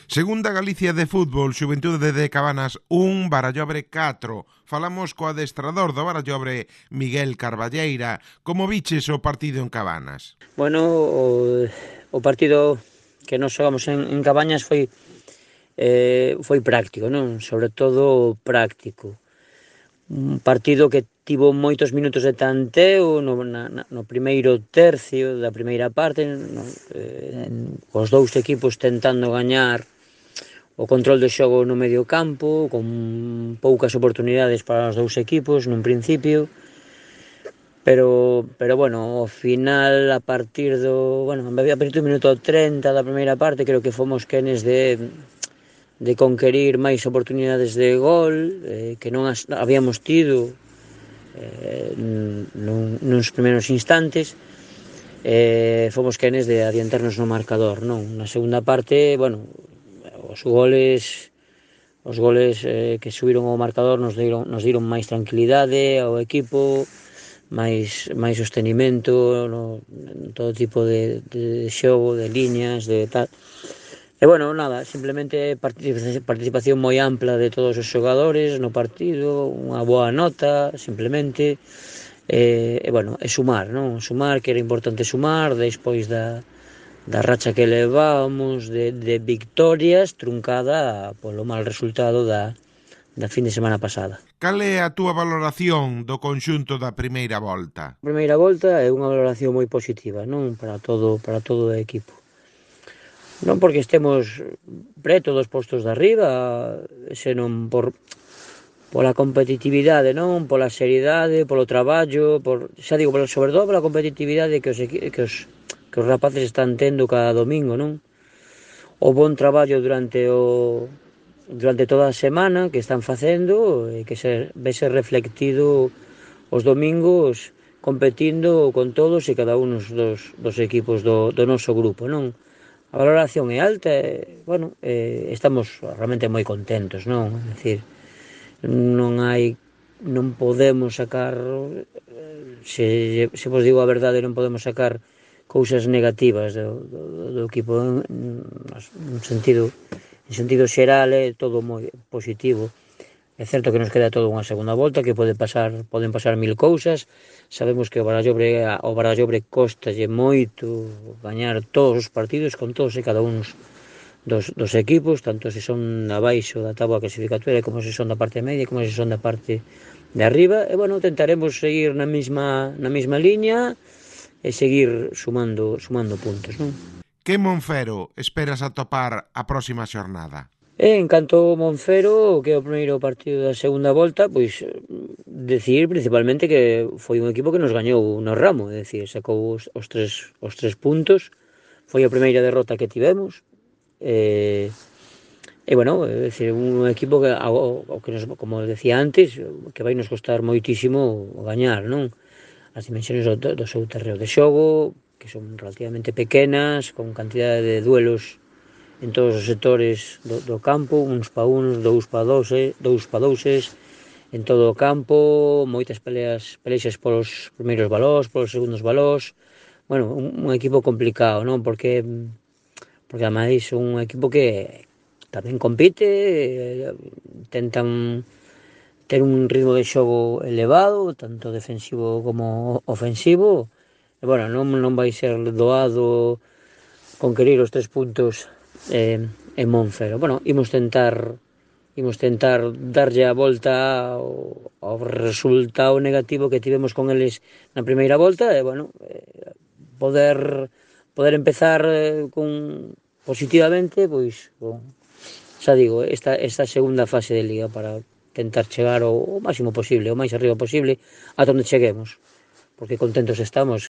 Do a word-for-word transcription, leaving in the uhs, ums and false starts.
Segunda Galicia de fútbol, Xuventude de Cabanas un, Barallobre catro. Falamos co adestrador do Barallobre, Miguel Carballeira. Como viches o partido en Cabanas? Bueno, o, o partido que nos xogamos en, en Cabañas foi eh, foi práctico, non? Sobre todo práctico. Un partido que tivo moitos minutos de tanteo no, na, no primeiro tercio da primeira parte, no, eh, os dous equipos tentando gañar o control do xogo no medio campo, con poucas oportunidades para os dous equipos nun principio, pero, pero bueno, ao final, a partir do, bueno, a partir do minuto treinta da primeira parte, creo que fomos quenes de de conquerir máis oportunidades de gol eh, que non as habíamos tido eh, nun, nuns primeiros instantes. Eh, fomos quenes de adiantarnos no marcador, non? Na segunda parte, bueno, os goles os goles eh, que subiron ao marcador nos deron, nos deron máis tranquilidade ao equipo, máis, máis sostenimento no, en todo tipo de, de xogo, de líneas, de tal. E bueno, nada, simplemente participación moi ampla de todos os xogadores no partido, unha boa nota, simplemente, e, e bueno, e sumar, non? Sumar, que era importante sumar, despois da, da racha que levábamos de, de victorias, truncada polo mal resultado da, da fin de semana pasada. Cal é a túa valoración do conxunto da primeira volta? A primeira volta é unha valoración moi positiva, non? Para todo, para todo o equipo. Non porque estemos preto dos postos de arriba, senón por pola competitividade, non? Pola seriedade, polo traballo, por, xa digo, sobre todo pola competitividade que os, que os, que os rapaces están tendo cada domingo, non? O bon traballo durante o durante toda a semana que están facendo e que se vese reflectido os domingos competindo con todos e cada un dos, dos equipos do, do noso grupo, non? A valoración é alta e, bueno, eh, estamos realmente moi contentos, non? É dicir, non hai, non podemos sacar, se, se vos digo a verdade, non podemos sacar cousas negativas do, do, do equipo en, en sentido, en sentido xeral é todo moi positivo. É certo que nos queda toda unha segunda volta, que pode pasar, poden pasar mil cousas. Sabemos que o Barallobre, o Barallobre costalle moito gañar todos os partidos con todos e cada un dos, dos equipos, tanto se son abaixo da táboa clasificatoria como se son da parte media, como se son da parte de arriba. E, bueno, tentaremos seguir na mesma, na mesma liña e seguir sumando, sumando puntos, non? Que Monfero esperas atopar a próxima xornada? E en canto ao Monfero, que é o primeiro partido da segunda volta, pois decir principalmente que foi un equipo que nos gañou no ramo, é dicir, sacou os, os, tres, os tres puntos, foi a primeira derrota que tivemos, e, e bueno, é dicir, un equipo que, ao, ao que nos, como decía antes, que vai nos costar moitísimo gañar, non? As dimensións do, do seu terreo de xogo, que son relativamente pequenas, con cantidade de duelos en todos os sectores do, do campo, uns pa uns, dous pa dous, dous pa douses, en todo o campo, moitas peleas, pelexas polos primeiros balós, polos segundos balós. Bueno, un, un equipo complicado, non? Porque, porque ademais un equipo que tamén compite, tentan ter un ritmo de xogo elevado, tanto defensivo como ofensivo, e, bueno, non, non vai ser doado conquerir os tres puntos eh, en Monfero. Bueno, imos tentar imos tentar darlle a volta ao, ao resultado negativo que tivemos con eles na primeira volta e, bueno, eh, poder poder empezar eh, con positivamente, pois, bon, xa digo, esta, esta segunda fase de Liga para tentar chegar o, o máximo posible, o máis arriba posible, ata onde cheguemos, porque contentos estamos.